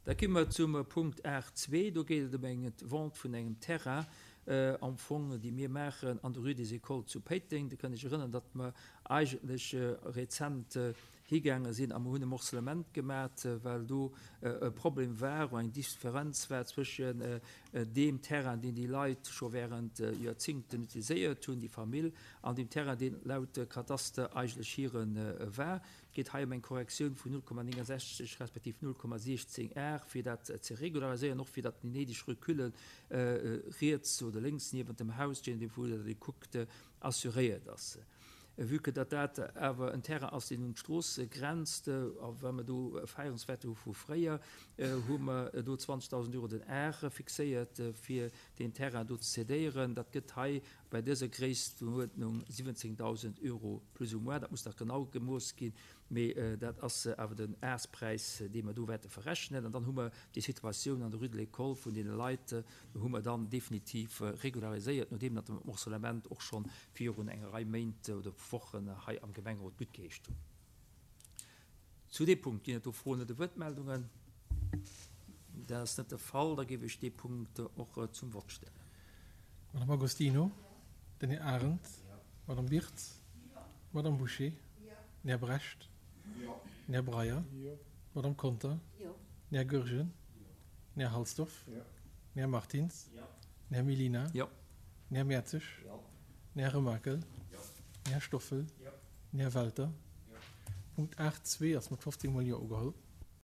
Da gi mer zum Punkt 8.2. Do geet et ëm eng Vente vun engem Terrain am Fong, déi mir maachen an der Rue des Écoles zu Péiteng. Dir kënnt Iech erënnern, datt mer eigentlech rezent higaange sinn a mer hunn e Morcellement gemat, well do e Problem war, eng Differenz war zwëschen deem Terrain, deen déi Leit scho während Joerzingten utiliséiert hunn, déi Famill, an deem Terrain, deen laut Kadaster eigentlech hire war. Et geet hei ëm eng Korrektioun vun 0,69 respektiv 0,16 Ar, fir dat ze regulariséieren, och fir datt déi néideg Recule riets oder lénks niewent dem Haus, je nodeem vu wou datt ee kuckt, assuréiert ass. Vue que datt dat awer en Terrain ass, deen un d'Strooss grenzt, a well mer do Erfahrungswerte hu vu fréier, hu mer do 20.000 Euro den Ar fixéiert, fir deen Terrain do ze cédéieren. Dat gëtt hei Bei dëser Gréisstenuerdnung 17.000 Euro plus ou moins, dat muss nach genau gemooss ginn, mee dat ass awer den Aarspräis, dee mer do wäerte verrechnen. An dann hu mer déi Situatioun an der Rue de l'École vun deene Leit, hu mer dann definitiv regulariséiert, nodeem datt de Morcellement och scho virun enger Rei Méint oder Wochen hei am Gemengerot guttgeheescht hunn. Zu deem Punkt ginn et do Froen oder Wuertmeldungen? Dat ass net de Fall. Da géif ech dee Punkt och zum Vott stellen. Madame Agostino, den Här Arendt, Madame Birtz, Madame Bouché, den Här Brecht, den Här Breyer, d'Madame Conter, den Här Goergen, den Här Halsdorf, den Här Martins, den Här Mellina, den Här Mertzig, den Här Remakel, den Här Stoffel, den Här Welter. Punkt 8.2 ass mat 15 mol Jo ugeholl.